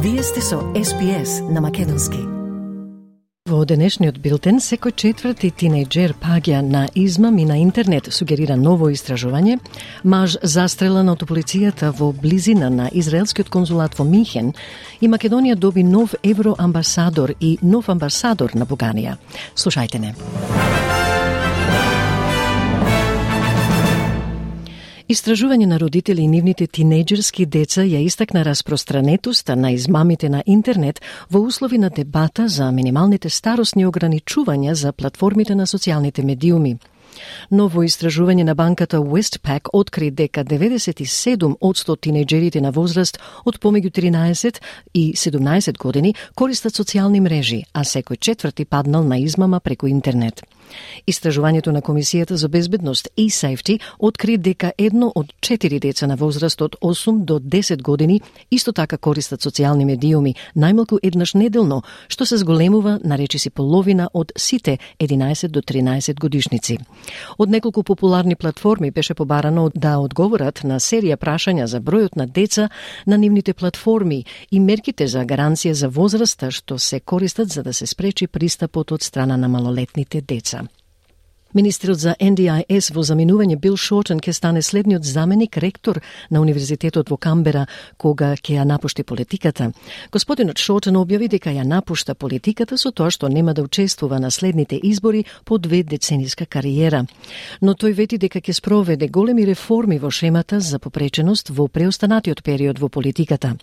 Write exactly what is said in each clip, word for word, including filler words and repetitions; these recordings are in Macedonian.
Вие сте со Ес Би Ес на македонски. Во денешниот билтен, секој четврти тинејџер паѓа на измам и на интернет, сугерира ново истражување. Маж застрелан од полицијата во близина на израелскиот конзулат во Минхен и Македонија доби нов евроамбасадор и нов амбасадор на Буганија. Слушајте не. Истражување на родители и нивните тинејџерски деца ја истакна распространетоста на измамите на интернет во услови на дебата за минималните старосни ограничувања за платформите на социјалните медиуми. Ново истражување на банката Westpac откри дека деветдесет и седум одсто тинејџерите на возраст од помеѓу тринаесет и седумнаесет години користат социјални мрежи, а секој четврти паднал на измама преку интернет. Истражувањето на Комисијата за безбедност и Safety откри дека едно од четири деца на возраст од осум до десет години исто така користат социјални медиуми најмалку еднаш неделно, што се зголемува на речиси половина од сите единаесет до тринаесет годишници. Од неколку популарни платформи беше побарано да одговорат на серија прашања за бројот на деца на нивните платформи и мерките за гаранција за возраста што се користат за да се спречи пристапот од страна на малолетните деца. Министерот за Ен Ди Ај Ес во заминување Бил Шортен ќе стане следниот заменик ректор на Универзитетот во Камбера кога ќе ја напушти политиката. Господинот Шортен објави дека ја напушта политиката со тоа што нема да учествува на следните избори по две децениска кариера. Но тој вети дека ќе спроведе големи реформи во шемата за попреченост во преостанатиот период во политиката.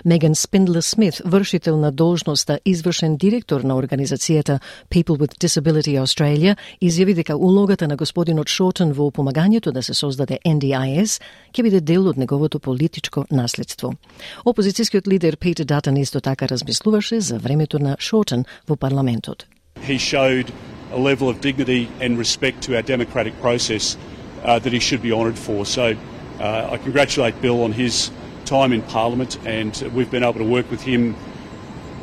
Меган Спиндлер Смит, вршител на должноста извршен директор на организацијата People with Disability Australia, изјави дека улогата на господинот Шортен во помагањето да се создаде Ен Ди Ај Ес ќе биде дел од неговото политичко наследство. Опозицијскиот лидер Питер Датон исто така размислуваше за времето на Шортен во парламентот. He showed a level of dignity and respect to our democratic process uh, that he should be honoured for. So uh, I congratulate Bill on his time in Parliament, and we've been able to work with him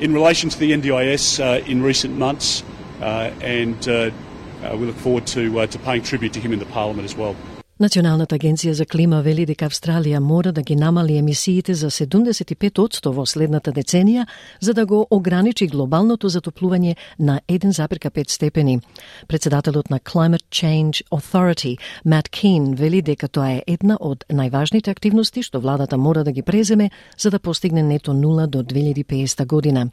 in relation to the Ен Ди Ај Ес uh, in recent months, uh, and uh, Uh, we look forward to uh, to paying tribute to him in the Parliament as well. Националната агенција за клима вели дека Австралија мора да ги намали емисиите за седумдесет и пет одсто во следната деценија за да го ограничи глобалното затоплување на еден запирка пет степени. Председателот на Climate Change Authority, Мат Кин, вели дека тоа е една од најважните активности што владата мора да ги преземе за да постигне нето нула до две илјади и педесета година.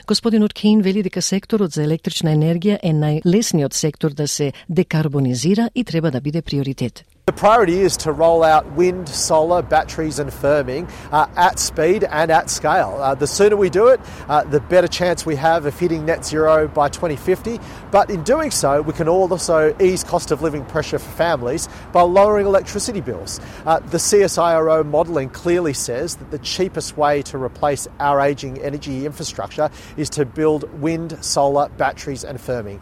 Господинот Кин вели дека секторот за електрична енергија е најлесниот сектор да се декарбонизира и треба да биде приоритет. The priority is to roll out wind, solar, batteries and firming uh, at speed and at scale. Uh, the sooner we do it, uh, the better chance we have of hitting net zero by twenty fifty. But in doing so, we can also ease cost of living pressure for families by lowering electricity bills. Uh, the C S I R O modelling clearly says that the cheapest way to replace our ageing energy infrastructure is to build wind, solar, batteries and firming.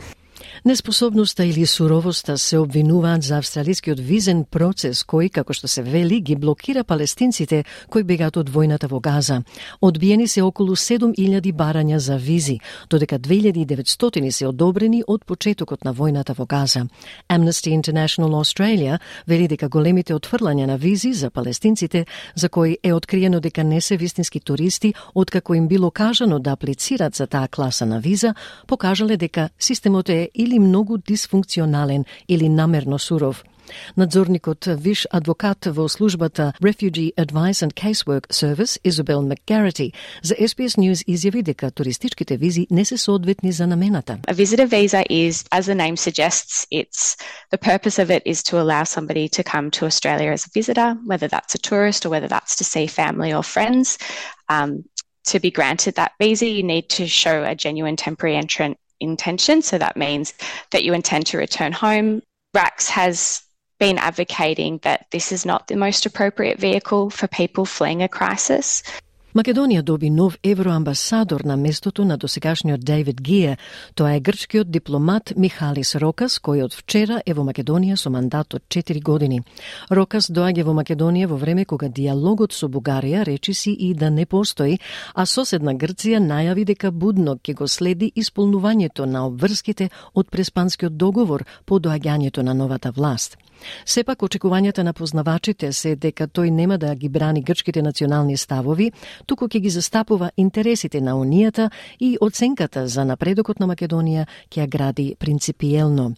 Неспособноста или суровоста се обвинуваат за австралискиот визен процес кој, како што се вели, ги блокира палестинците кои бегаат од војната во Газа. Одбиени се околу седум илјади барања за визи, додека две илјади и деветстотини се одобрени од почетокот на војната во Газа. Amnesty International Australia вели дека големите отфрлања на визи за палестинците, за кои е откриено дека не се вистински туристи, откако им било кажано да аплицират за таа класа на виза, покажале дека системот е или многу дисфункционален или намерно суров. Надзорникот виш адвокат во службата Refugee Advice and Casework Service, Изабел Макгарити, за Ес Би Ес News изјави дека туристичките визи не се соодветни за намената. A visitor visa is, as the name suggests, it's the purpose of it is to allow somebody to come to Australia as a visitor, whether that's a tourist or whether that's to see family or friends. Um, to be granted that visa, you need to show a genuine temporary entrant intention, so that means that you intend to return home. R A C S has been advocating that this is not the most appropriate vehicle for people fleeing a crisis. Македонија доби нов евроамбасадор на местото на досегашниот Дейвид Гие. Тоа е грчкиот дипломат Михалис Рокас, кој од вчера е во Македонија со мандат од четири години. Рокас доаѓа во Македонија во време кога диалогот со Бугарија речиси и да не постои, а соседна Грција најави дека будно ќе го следи исполнувањето на обврските од Преспанскиот договор по доаѓањето на новата власт. Сепак, очекувањата на познавачите се дека тој нема да ги брани грчките национални ставови, туку ќе ги застапува интересите на Унијата и оценката за напредокот на Македонија ќе ја гради принципиелно.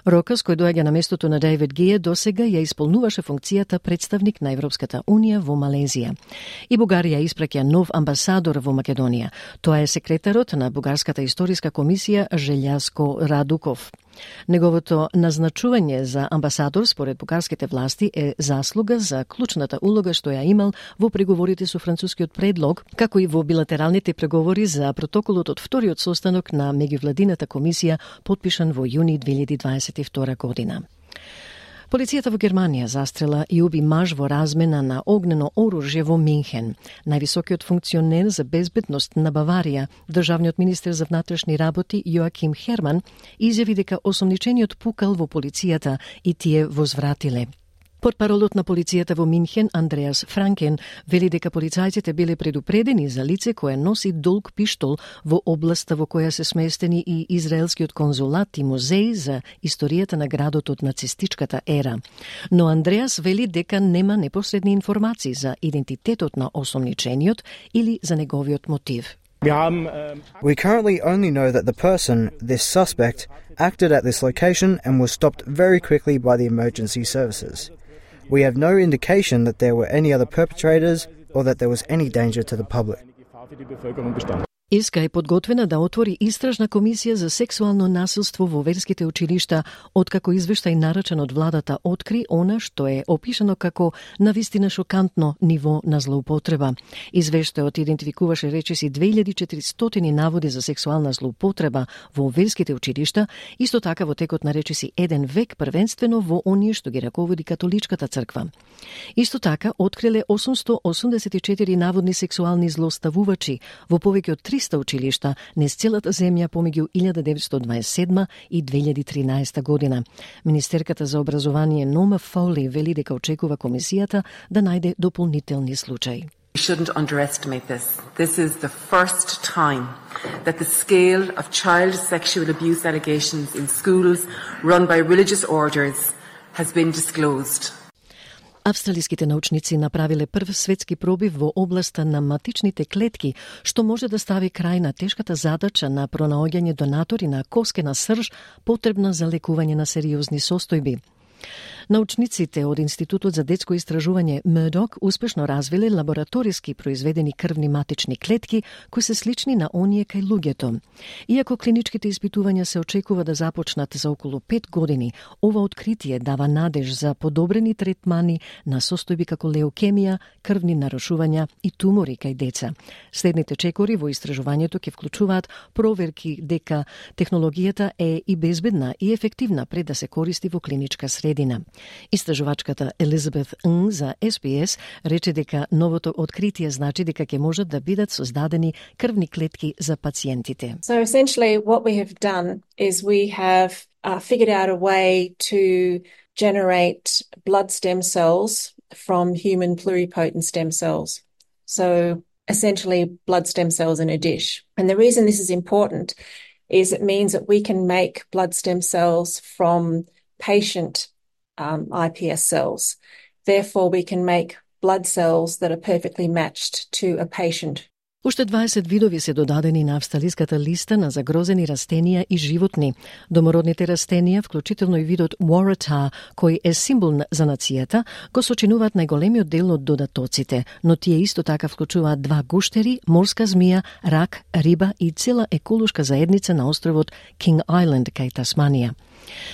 Рокас, кој доаѓа на местото на Дейвид Гие, досега ја исполнуваше функцијата представник на Европската Унија во Малезија. И Бугарија испраќа нов амбасадор во Македонија. Тоа е секретарот на Бугарската историска комисија Желјаско Радуков. Неговото назначување за амбасадор според бугарските власти е заслуга за клучната улога што ја имал во преговорите со францускиот предлог, како и во билатералните преговори за протоколот од вториот состанок на меѓувладината комисија потпишан во јуни две илјади дваесет и втора година. Полицијата во Германија застрела и уби маж во размена на огнено оружје во Минхен. Највисокиот функционер за безбедност на Баварија, државниот министер за внатрешни работи Јоаким Херман, изјави дека осомничениот пукал во полицијата и тие возвратиле. Портпаролот на полицијата во Минхен, Андреас Франкен, вели дека полицајците биле предупредени за лице кое носи долг пиштол во областа во која се сместени и израелскиот конзулат и музеј за историјата на градот од нацистичката ера. Но Андреас вели дека нема непосредни информации за идентитетот на осомничениот или за неговиот мотив. We currently only know that the person, this suspect, acted at this location and was stopped very quickly by the emergency services. We have no indication that there were any other perpetrators or that there was any danger to the public. Ирска е подготвена да отвори истражна комисија за сексуално насилство во верските училишта, откако извештај нарачен од владата откри она што е опишано како навистина шокантно ниво на злоупотреба. Извештајот идентификуваше речиси две илјади и четиристотини наводи за сексуална злоупотреба во верските училишта, исто така во текот на речиси еден век, првенствено во оние што ги раководи католичката црква. Исто така откриле осумсто осумдесет и четири наводни сексуални злоставувачи во повеќе од триста училишта низ целата земја помеѓу илјада деветстотини дваесет и седма и две илјади и тринаесета година. Министерката за образование Нома Фоли вели дека очекува комисијата да најде дополнителни случаи. We shouldn't underestimate this. This is the first time that the scale of child sexual abuse allegations in schools run by religious orders has been disclosed. Австралиските научници направиле прв светски пробив во областа на матичните клетки, што може да стави крај на тешката задача на пронаоѓање донатори на коскена срж потребна за лекување на сериозни состојби. Научниците од Институтот за детско истражување Мурдок успешно развиле лабораториски произведени крвни матични клетки кои се слични на оние кај луѓето. Иако клиничките испитувања се очекува да започнат за околу пет години, ова откритие дава надеж за подобрени третмани на состојби како леукемија, крвни нарушувања и тумори кај деца. Следните чекори во истражувањето ќе вклучуваат проверки дека технологијата е и безбедна и ефективна пред да се користи во клиничка средина. Истражувачката Елизабет Н за Ес Би Ес рече дека новото откритие значи дека ќе можат да бидат создадени крвни клетки за пациентите. So essentially what we have done is we have uh, figured out a way to generate blood stem cells from human pluripotent stem cells. So essentially blood stem cells in a dish. And the reason this is important is it means that we can make blood stem cells from patient Um, I P S cells. Therefore, we can make blood cells that are perfectly matched to a patient. Уште дваесет видови се додадени на австралиската листа на загрозени растенија и животни. Домородните растенија, вклучително и видот Waratah, кој е символ за нацијата, го сочинуваат најголемиот дел од додатоците, но тие исто така вклучуваат два гуштери, морска змија, рак, риба и цела еколошка заедница на островот King Island кај Тасманија.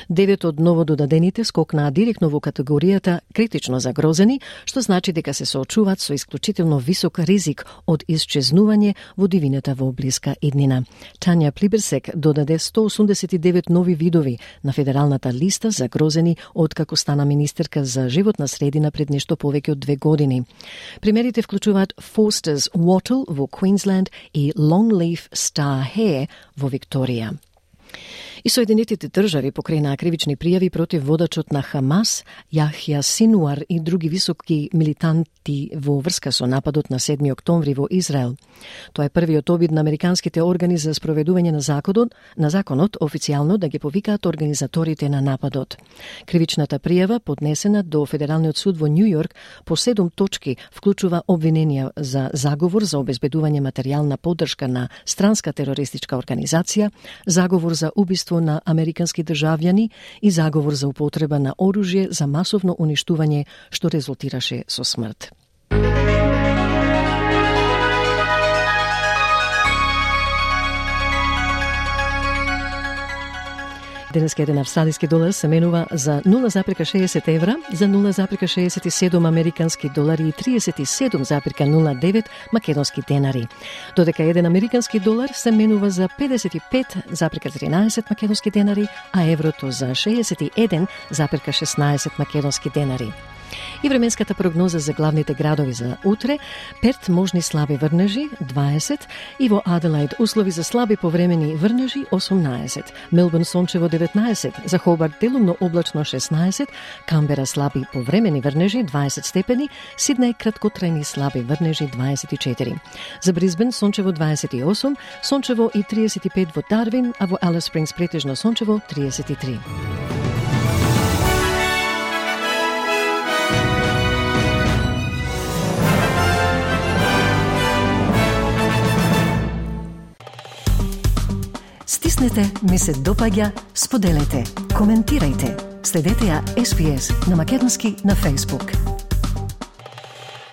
Девет од новододадените скокнаа директно во категоријата критично загрозени, што значи дека се соочуваат со исклучително висок ризик од исчезнување во дивината во блиска иднина. Тања Плиберсек додаде сто осумдесет и девет нови видови на федералната листа загрозени откако стана министерка за животна средина пред нешто повеќе од две години. Примерите вклучуваат Forster's Wattle во Queensland и Longleaf Star Hare во Викторија. И Соединетите држави покренаа кривични пријави против водачот на Хамас, Јахја Синуар и други високи милитанти во врска со нападот на седми октомври во Израел. Тоа е првиот обид на американските органи за спроведување на законот, на законот официјално да ги повикаат организаторите на нападот. Кривичната пријава, поднесена до Федералниот суд во Њу Јорк по седум точки, вклучува обвиненија за заговор за обезбедување материјална поддршка на странска терористичка организација, заговор за убиство на американски државјани и заговор за употреба на оружје за масовно уништување што резултираше со смрт. Денеска еден австралиски долар се менува за нула зарка шеесет евра, за нула зарка шеесет и седум американски долари и триесет и седум зарка нула девет македонски денари. Додека еден американски долар се менува за педесет и пет зарка тринаесет македонски денари, а еврото за шеесет и еден зарка шеснаесет македонски денари. И временската прогноза за главните градови за утре: Перт можни слаби врнежи дваесет, и во Аделаид услови за слаби повремени врнежи осумнаесет, Мелбурн сончево деветнаесет, за Хобарт делумно облачно шеснаесет, Камбера слаби повремени врнежи дваесет степени, Сиднеј краткотрајни слаби врнежи дваесет и четири. За Брисбен сончево дваесет и осум, сончево и триесет и пет во Дарвин, а во Алис Спрингс претежно сончево триесет и три. Стиснете, ми се допаѓа, споделете, коментирајте. Следете ја Ес Би Ес на македонски на Facebook.